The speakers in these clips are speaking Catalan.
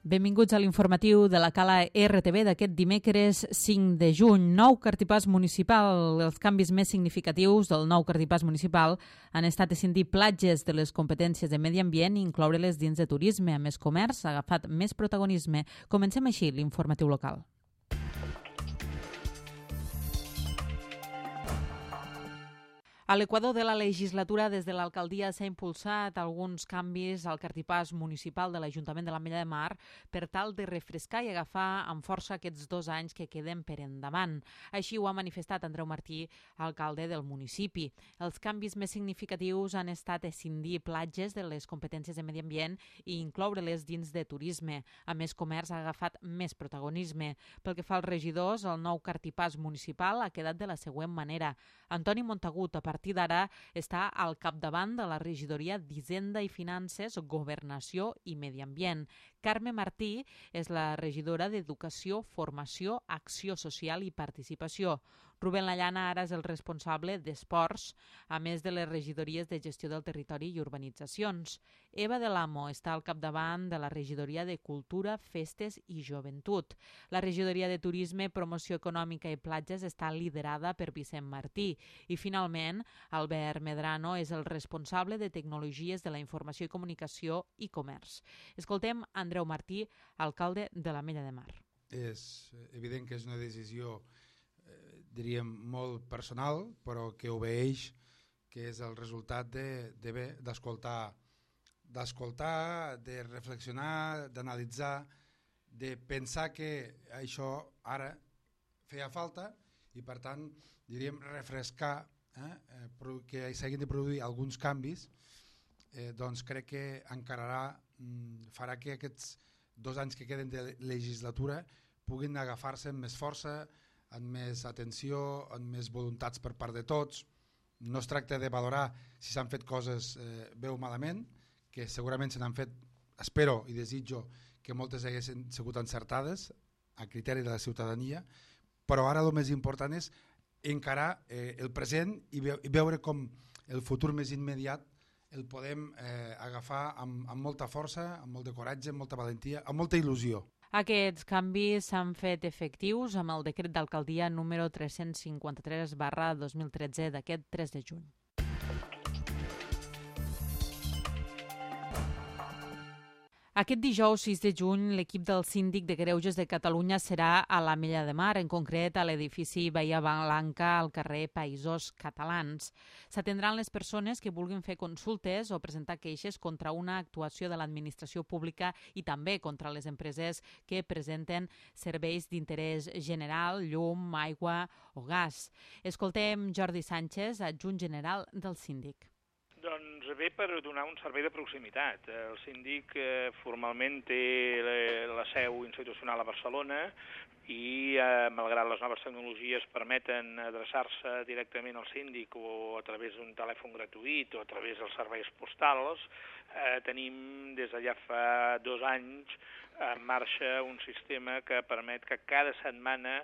Benvinguts a l'informatiu de la Cala RTV d'aquest dimecres 5 de juny. Nou cartipàs municipal. Els canvis més significatius del nou cartipàs municipal han estat escindir platges de les competències de medi ambient i incloure-les dins de turisme. A més, comerç ha agafat més protagonisme. Comencem així l'informatiu local. A l'equador de la legislatura, des de l'alcaldia s'ha impulsat alguns canvis al cartipàs municipal de l'Ajuntament de l'Ametlla de Mar per tal de refrescar i agafar amb força aquests 2 anys que queden per endavant. Així ho ha manifestat Andreu Martí, alcalde del municipi. Els canvis més significatius han estat escindir platges de les competències de medi ambient i incloure-les dins de turisme. A més, comerç ha agafat més protagonisme. Pel que fa als regidors, el nou cartipàs municipal ha quedat de la següent manera. Antoni Montagut, a partir d'ara, està al capdavant de la regidoria d'Hisenda i Finances, Governació i Medi Ambient. Carme Martí és la regidora d'Educació, Formació, Acció Social i Participació. Rubén Lallana ara és el responsable d'Esports, a més de les regidories de Gestió del Territori i Urbanitzacions. Eva de l'Amo està al capdavant de la regidoria de Cultura, Festes i Joventut. La regidoria de Turisme, Promoció Econòmica i Platges està liderada per Vicent Martí. I finalment, Albert Medrano és el responsable de Tecnologies de la Informació i Comunicació i Comerç. Escoltem Andreu Martí, alcalde de l'Ametlla de Mar. És evident que és una decisió diríem molt personal, però que obeeix, que és el resultat d'escoltar, de reflexionar, d'analitzar, de pensar que això ara feia falta i per tant diríem refrescar, que s'hagin de produir alguns canvis, doncs crec que farà que aquests 2 anys que queden de legislatura puguin agafar-se amb més força, amb més atenció, amb més voluntats per part de tots. No es tracta de valorar si s'han fet coses bé o malament, que segurament se n'han fet, espero i desitjo que moltes haguessin sigut encertades a criteri de la ciutadania, però ara el més important és encarar el present i veure com el futur més immediat el podem agafar amb molta força, amb molt de coratge, amb molta valentia, amb molta il·lusió. Aquests canvis s'han fet efectius amb el decret d'alcaldia número 353/2013 d'aquest 3 de juny. Aquest dijous 6 de juny, l'equip del Síndic de Greuges de Catalunya serà a l'Ametlla de Mar, en concret a l'edifici Bahia Blanca al carrer Països Catalans. S'atendran les persones que vulguin fer consultes o presentar queixes contra una actuació de l'administració pública i també contra les empreses que presenten serveis d'interès general, llum, aigua o gas. Escoltem Jordi Sánchez, adjunt general del Síndic. Doncs ve per donar un servei de proximitat. El síndic formalment té la seu institucional a Barcelona i, malgrat les noves tecnologies permeten adreçar-se directament al síndic o a través d'un telèfon gratuït o a través dels serveis postals, tenim des de ja fa 2 anys en marxa un sistema que permet que cada setmana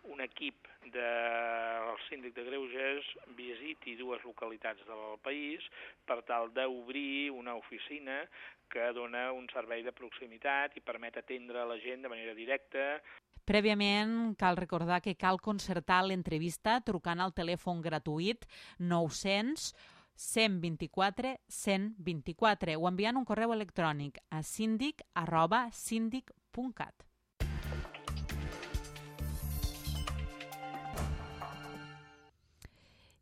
un equip del Síndic de Greuges visiti 2 localitats del país per tal d'obrir una oficina que dona un servei de proximitat i permet atendre la gent de manera directa. Prèviament, cal recordar que cal concertar l'entrevista trucant al telèfon gratuït 900 124 124 o enviant un correu electrònic a sindic@sindic.cat.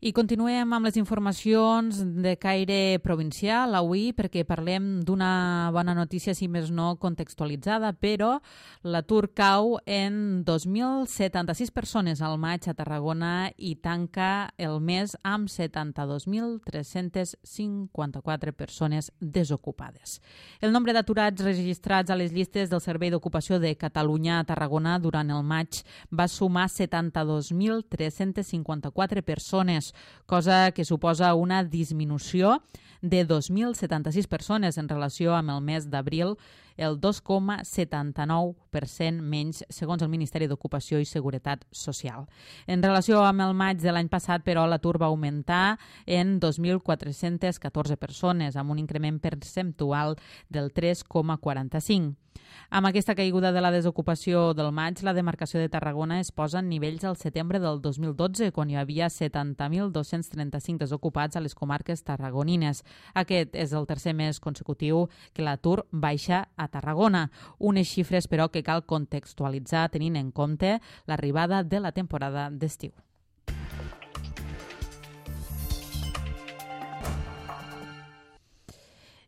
I continuem amb les informacions de caire provincial avui perquè parlem d'una bona notícia, si més no contextualitzada, però l'atur cau en 2.076 persones al maig a Tarragona i tanca el mes amb 72.354 persones desocupades. El nombre d'aturats registrats a les llistes del Servei d'Ocupació de Catalunya a Tarragona durant el maig va sumar 72.354 persones, cosa que suposa una disminució de 2.076 persones en relació amb el mes d'abril el 2,79% menys, segons el Ministeri d'Ocupació i Seguretat Social. En relació amb el maig de l'any passat, però, l'atur va augmentar en 2.414 persones, amb un increment percentual del 3,45%. Amb aquesta caiguda de la desocupació del maig, la demarcació de Tarragona es posa en nivells al setembre del 2012, quan hi havia 70.235 desocupats a les comarques tarragonines. Aquest és el tercer mes consecutiu que l'atur baixa a Tarragona. Unes xifres, però, que cal contextualitzar tenint en compte l'arribada de la temporada d'estiu.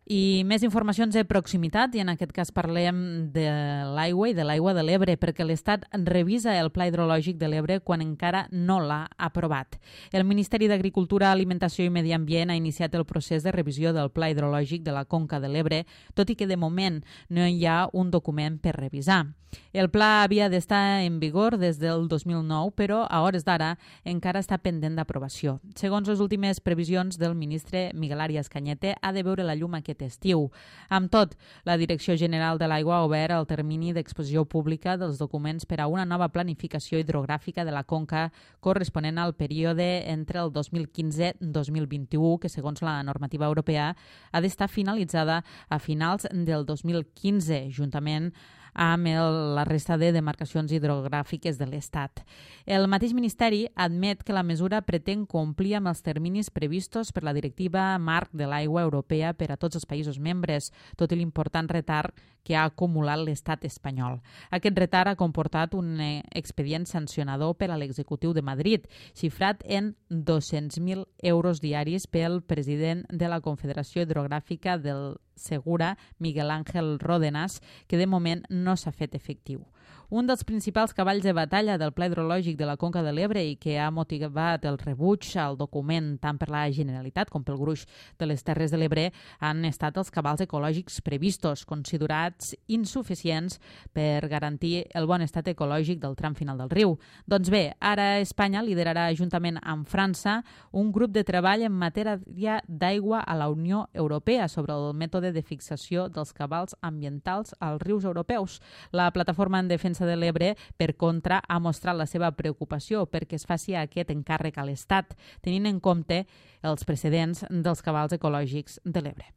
I més informacions de proximitat, i en aquest cas parlem de l'aigua i de l'aigua de l'Ebre, perquè l'Estat revisa el Pla Hidrològic de l'Ebre quan encara no l'ha aprovat. El Ministeri d'Agricultura, Alimentació i Medi Ambient ha iniciat el procés de revisió del Pla Hidrològic de la Conca de l'Ebre, tot i que de moment no hi ha un document per revisar. El pla havia d'estar en vigor des del 2009, però a hores d'ara encara està pendent d'aprovació. Segons les últimes previsions del ministre Miguel Arias Cañete, ha de veure la llum aquest estiu. Amb tot, la Direcció General de l'Aigua ha obert el termini d'exposició pública dels documents per a una nova planificació hidrogràfica de la conca corresponent al període entre el 2015-2021, que segons la normativa europea ha d'estar finalitzada a finals del 2015, juntament amb la resta de demarcacions hidrogràfiques de l'Estat. El mateix Ministeri admet que la mesura pretén complir amb els terminis previstos per la Directiva Marc de l'Aigua Europea per a tots els països membres, tot i l'important retard que ha acumulat l'Estat espanyol. Aquest retard ha comportat un expedient sancionador per a l'executiu de Madrid, xifrat en 200.000 euros diaris pel president de la Confederació Hidrogràfica del Segura, Miguel Ángel Ródenas, que de moment no s'ha fet efectiu. Un dels principals cavalls de batalla del Pla Hidrològic de la Conca de l'Ebre i que ha motivat el rebuig al document tant per la Generalitat com pel gruix de les Terres de l'Ebre han estat els cabals ecològics previstos, considerats insuficients per garantir el bon estat ecològic del tram final del riu. Doncs bé, ara Espanya liderarà juntament amb França un grup de treball en matèria d'aigua a la Unió Europea sobre el mètode de fixació dels cabals ambientals als rius europeus. La plataforma en defensa de l'Ebre, per contra, ha mostrat la seva preocupació perquè es faci aquest encàrrec a l'Estat, tenint en compte els precedents dels cabals ecològics de l'Ebre.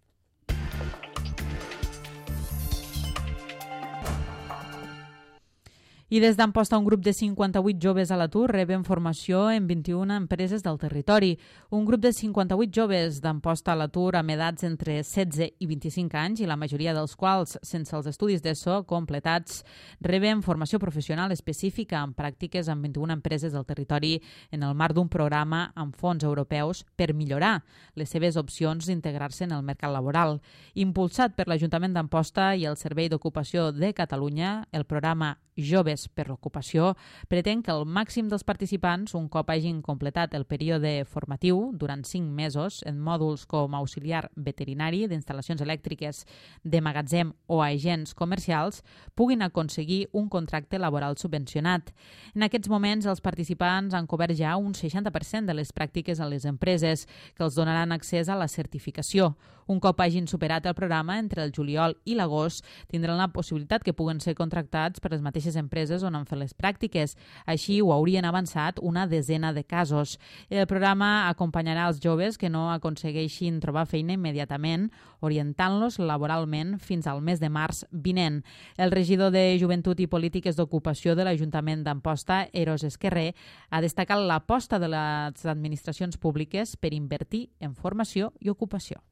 I des d'Amposta, un grup de 58 joves a l'atur reben formació en 21 empreses del territori. Un grup de 58 joves d'Amposta a l'atur amb edats entre 16 i 25 anys, i la majoria dels quals sense els estudis d'ESO completats, reben formació professional específica amb pràctiques en 21 empreses del territori en el marc d'un programa amb fons europeus per millorar les seves opcions d'integrar-se en el mercat laboral. Impulsat per l'Ajuntament d'Amposta i el Servei d'Ocupació de Catalunya, el programa Joves per l'Ocupació pretén que el màxim dels participants, un cop hagin completat el període formatiu durant 5 mesos en mòduls com auxiliar veterinari, d'instal·lacions elèctriques, de magatzem o agents comercials, puguin aconseguir un contracte laboral subvencionat. En aquests moments, els participants han cobert ja un 60% de les pràctiques a les empreses, que els donaran accés a la certificació. Un cop hagin superat el programa, entre el juliol i l'agost, tindran la possibilitat que puguen ser contractats per les mateixes empreses on han fet les pràctiques. Així ho haurien avançat una desena de casos. El programa acompanyarà els joves que no aconsegueixin trobar feina immediatament, orientant-los laboralment fins al mes de març vinent. El regidor de Joventut i Polítiques d'Ocupació de l'Ajuntament d'Amposta, Eros Esquerrer, ha destacat l'aposta de les administracions públiques per invertir en formació i ocupació.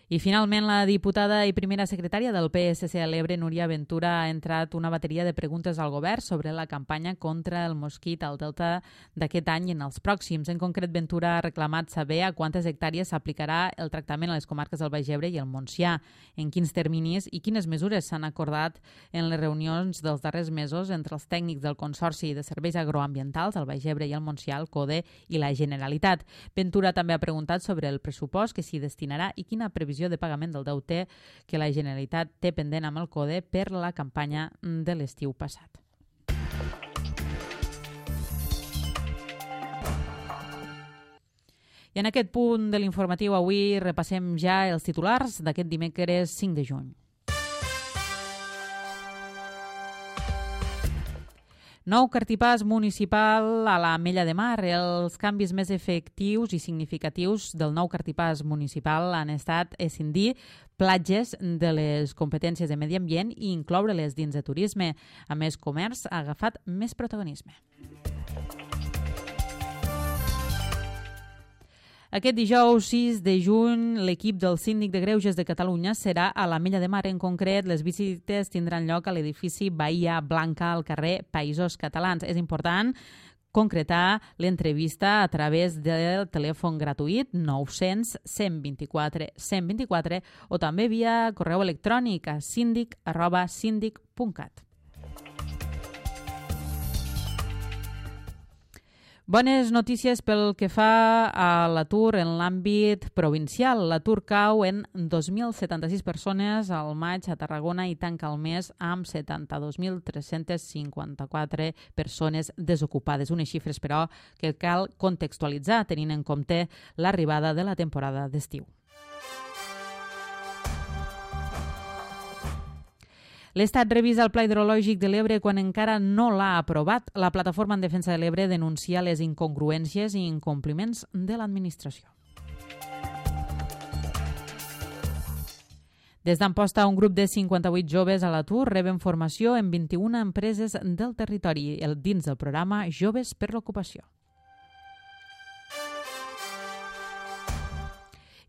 I finalment, la diputada i primera secretària del PSC a l'Ebre, Núria Ventura, ha entrat una bateria de preguntes al govern sobre la campanya contra el mosquit al Delta d'aquest any i en els pròxims. En concret, Ventura ha reclamat saber a quantes hectàrees s'aplicarà el tractament a les comarques del Baix Ebre i el Montsià, en quins terminis i quines mesures s'han acordat en les reunions dels darrers mesos entre els tècnics del Consorci de Serveis Agroambientals al Baix Ebre i el Montsià, el CODE i la Generalitat. Ventura també ha preguntat sobre el pressupost que s'hi destinarà i quina previsió de pagament del deute que la Generalitat té pendent amb el CODE per la campanya de l'estiu passat. I I en aquest punt de l'informatiu avui repassem ja els titulars d'aquest dimecres 5 de juny. Nou cartipàs municipal a l'Ametlla de Mar. Els canvis més efectius i significatius del nou cartipàs municipal han estat escindir platges de les competències de medi ambient i incloure-les dins de turisme. A més, comerç ha agafat més protagonisme. Aquest dijous 6 de juny, l'equip del Síndic de Greuges de Catalunya serà a l'Ametlla de Mar. En concret, les visites tindran lloc a l'edifici Bahia Blanca al carrer Països Catalans. És important concretar l'entrevista a través del telèfon gratuït 900 124 124 o també via correu electrònic a sindic@sindic.cat. Bones notícies pel que fa a l'atur en l'àmbit provincial. L'atur cau en 2.076 persones al maig a Tarragona i tanca el mes amb 72.354 persones desocupades. Unes xifres, però, que cal contextualitzar tenint en compte l'arribada de la temporada d'estiu. L'Estat revisa el Pla Hidrològic de l'Ebre quan encara no l'ha aprovat. La Plataforma en Defensa de l'Ebre denuncia les incongruències i incompliments de l'administració. Des d'Amposta, un grup de 58 joves a l'atur reben formació en 21 empreses del territori dins del programa Joves per l'Ocupació.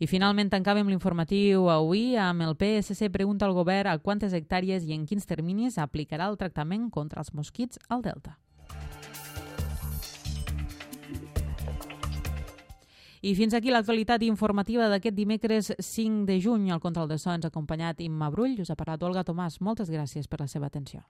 I finalment tancàvem l'informatiu avui amb el PSC pregunta al govern a quantes hectàrees i en quins terminis aplicarà el tractament contra els mosquits al Delta. I fins aquí l'actualitat informativa d'aquest dimecres 5 de juny. Al control de so ens ha acompanyat Imma Brull. Us ha parlat Olga Tomàs. Moltes gràcies per la seva atenció.